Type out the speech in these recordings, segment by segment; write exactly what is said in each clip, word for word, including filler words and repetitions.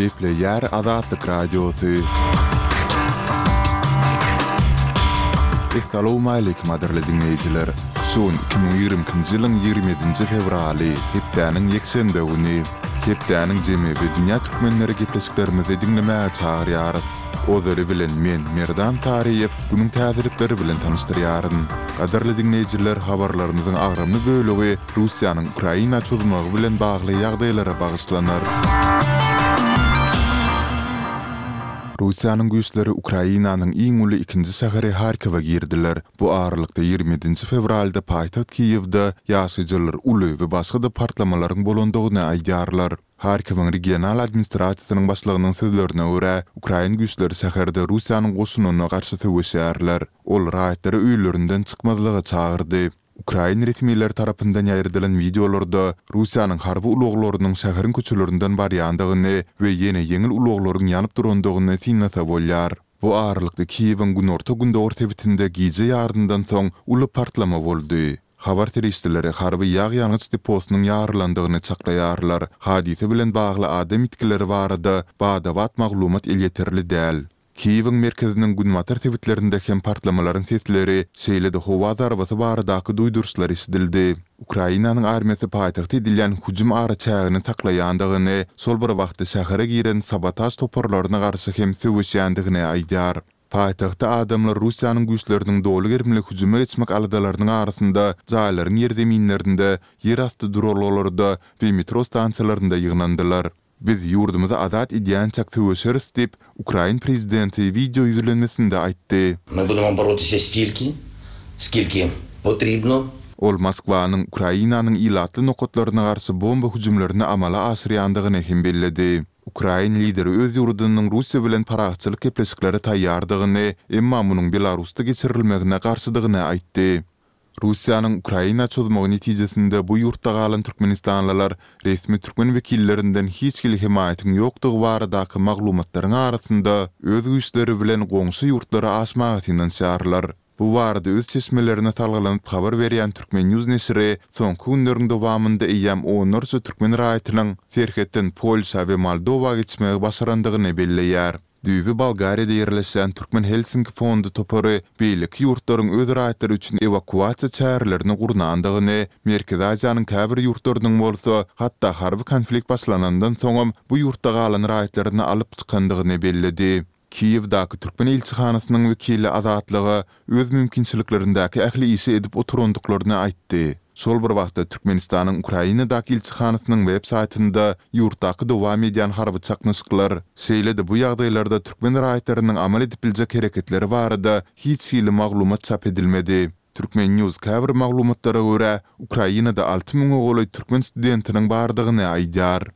Gepleýär Azatlyk Radiosy. Essalawmaleýkim gadyrly diňleýjiler! Şu gün iki müň ýigrimi ikinji ýylyň ýigrimi ýedinji fewraly, hepdäniň ýekşenbe güni. Hepdäniň jemi we dünýä türkmenleri gepleşiklerimizi diňlemäge çagyrýarys. Ozaly bilen men, Merdan Saryýew, günüň täzelikleri bilen tanyşdyrýaryn. Gadyrly diňleýjiler, habarlarymyzyň agramly bölegi Russiýanyň Ukraina çozmagy bilen bagly ýagdaýlara bagyşlanar. Russiýanyň güýçleri Ukrainanyň iň uly ikinji şäheri Harkowa girdiler. Bu aralykda ýigrimi ýedinji fewralda paýtagt Kiýewde ýaşaýjylar uly we başga-da partlamalaryň bolandygyny aýdýarlar. Harkowyň regional administrasiýasynyň başlygynyň sözlerine görä, ukrain güýçleri şäherde Russiýanyň goşunyna garşy söweşýärler. Ol raýatlary öýlerinden çykmazlyga çagyrdy. Ukrain resmileri tarapyndan ýaýradylan wideolarda Russiýanyň harby ulaglarynyň şäheriň köçelerinden barýandygyny we ýene ýeňil ulaglaryň ýanyp durandygyny synlasa bolýar. Bu aralykda Kiýewiň günorta-gündogar sebitinde gije ýaryndan soň uly partlama boldy. Habar serişdeleri harby ýag-ýangyç deposynyň ýarylandygyny çaklaýarlar. Hadysa bilen bagly adam ýitgileri barada bada-bat maglumat elýeterli däl. Kiýewiň merkeziniň günbatar sebitlerinde hem partlamalaryň sesleri, şeýle-de howa zarbasy baradaky duýduryşlar eşidildi. Ukrainanyň armiýasy paýtagta edilýän hüjüm araçägini saklaýandygyny, şol bir wagtda şähere giren sabotaž toparlaryna garşy hem söweşýändigini aýdýar. Paýtagtda adamlar Russiýanyň güýçleriniň doly gerimli hüjüme geçmek aladalarynyň arasynda jaýlaryň ýerzeminlerinde, ýerasty duralgalarda we metro stansiýalarynda ýygnandylar. Biz ýurdumyzy azat edýänçäk söweşeris diýip, ukrain prezidenti wideo ýüzlenmesinde aýtdy. My budemo borotися stilki, skilki potribno. Ol Moskwanyň Ukrainanyň ilatly nokatlaryna garşy bomba hüjümlerini amala aşyrýandygyny hem belledi. Ukrain lideri öz ýurdunyň Russiýa bilen parahatçylyk gepleşiklere taýýardygyny, emma munuň Belarusda geçirilmegine garşydygyny aýtdy. Russiýanyň Ukraina çozmagy netijesinde bu ýurtda galan türkmenistanlylar resmi türkmen wekillerinden hiç hili hemaýatyň ýokdugy baradaky maglumatlaryň arasynda öz güýçleri bilen goňşy ýurtlara aşmaga synanyşýarlar. Bu barada öz çeşmelerine salgylanyp habar berýän Turkmen. News neşiri soňky günleriň dowamynda eýýäm onlarça türkmen raýatynyň serhetden Polşa we Moldowa geçmegi başarandygyny belleýär. Düýbi Bolgariýada ýerleşýän Türkmen Helsinki fondy topary beýleki ýurtlaryň öz raýatlary üçin ewakuasiýa çärelerini gurnandygyny, Merkezi Aziýanyň käbir ýurtlarynyň bolsa hatda harby konflikt başlanandan soňam bu ýurtda galan raýatlaryny alyp çykandygyny belledi. Kiýewdäki türkmen ilçihanasynyň wekili Azatlyga öz mümkinçiliklerindäki ähli işi edip oturandyklaryny aýtdy. Şol bir wagtda Türkmenistanyň Ukrainadaky ilçihanasynyň web saýtynda ýurtdaky dowam edýän harby çaknyşyklar, şeýle-de bu ýagdaýlarda türkmen raýatlarynyň amal edip biljek hereketleri barada hiç hili maglumat çap edilmedi. Turkmen. News käbir maglumatlara görä, Ukrainada alty müňe golaý türkmen studentiniň bardygyny aýdýar.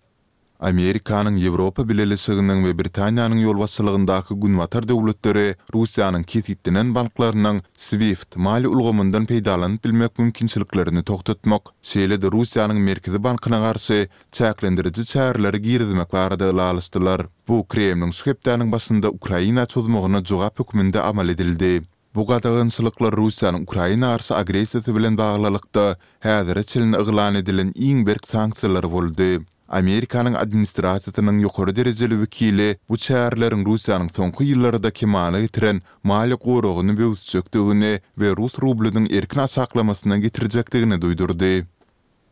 Amerikanyň, Ýewropa Bileleşiginiň we Britaniýanyň ýolbaşçylygyndaky Günbatar döwletleri Russiýanyň kesgitlenen banklarynyň SWIFT maliýe ulgamyndan peýdalanyp bilmek mümkinçiliklerini togtatmak, şeýle-de Russiýanyň Merkezi bankyna garşy çäklendiriji çäreleri girizmek barada ylalaşdylar. Bu Kremliň şu hepdäniň başynda Ukraina çozmagyna jogap hökmünde amal edildi. Bu gadagançylyklar Russiýanyň Ukraina garşy agressiýasy bilen baglylykda häzire çenli yglan edilen iň berk sanksiýalar boldy. Amerikanyň administrasiýasynyň ýokary derejeli wekili bu çäreleriň Russiýanyň soňky ýyllarda kemala getiren maliýe goragyny böwüsjekdigini we rus rublynyň erkin aşaklamasyna getirjekdigini duýdurdy.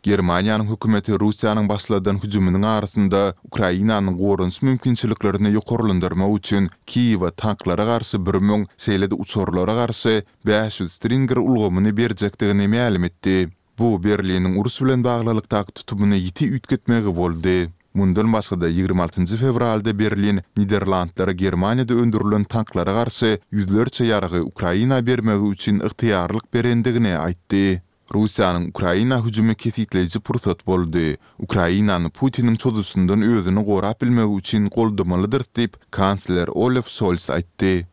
Germaniýanyň hökümeti Russiýanyň başladan hüjüminiň arasynda Ukrainanyň goranyş mümkinçiliklerini ýokarlandyrmak üçin Kiýewe tanklara garşy bir müň, şeýle-de uçarlara garşy bäş ýüz Stinger ulgamyny berjekdigini mälim etdi. Bu Berliniň uruş bilen baglylykdaky tutumyny ýiti üýtgetmegi boldy. Mundan başga-da ýigrimi altynjy fewralda Berlin Niderlandlara Germaniýada öndürilen tanklara garşy ýüzlerçe ýaragy Ukraina bermegi üçin ygtyýarlyk berendigini aýtdy. Russiýanyň Ukraina hüjümi kesgitleýji pursat boldy. Ukrainany Putiniň çozuşyndan özüni gorap bilmegi üçin goldamalydyrys diýip, kansler Olaf Şols aýtdy.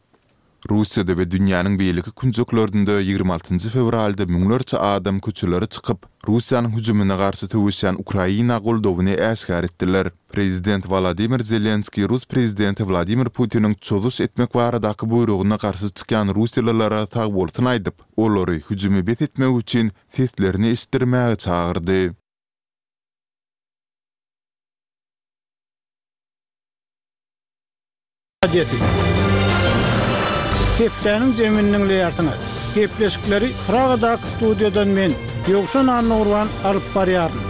Russiýada we dünýäniň beýleki künjeklerinde ýigrimi altynjy fewralda müňlerçe adam köçelere çykyp, Russiýanyň hüjümine garşy söweşýän Ukraina goldawyny äşgär etdiler. Prezident Wolodymyr Zelenskiý rus prezidenti Wladimir Putiniň çozuş etmek baradaky buýrugyna garşy çykýan russiýalylara sagbolsun aýdyp, olary hüjümi bes etmek üçin seslerini eşitdirmäge çagyrdy. Radiosy. Hepdäniň jemini diňleýärsiňiz. Gepleşikleri Pragadaky studiýadan men, Ýowşan Annagurban alyp barýaryn.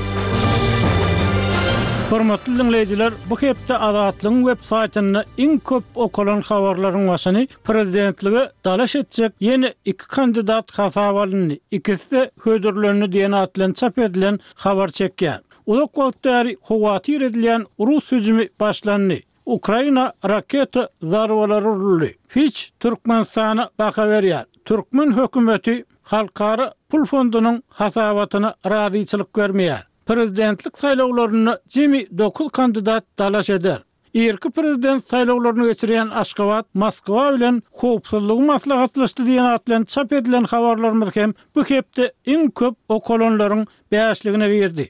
Hormatly dinleýjiler, bu hepde Azatlygyň web saýtynda iň köp okalan habarlaryň başyny prezidentlige dalaş etjek ýene iki kandidat hasaba alyndy. Ikisi-de hödürlendi diýen at bilen çap edilen habar çekýär. Uzak wagt bäri howatyr edilýän Rus hüjümi başlandy. Ukraina raketa zarbalary uruldy. Fitch Türkmenistana baha berýär. Türkmen hökümeti Halkara pul fondunyň hasabatyna razyçylyk bermeýär. Prezidentlik saýlawlarynda jemi dokuz kandidat dalaş eder. Irki prezident saýlawlaryny geçirýän Aşgabat Moskwa bilen howpsuzlygy maslahatlaşdy diýen at bilen çap edilen habarlarymyz hem bu hepde iň köp okalanlaryň bäşligine girdi.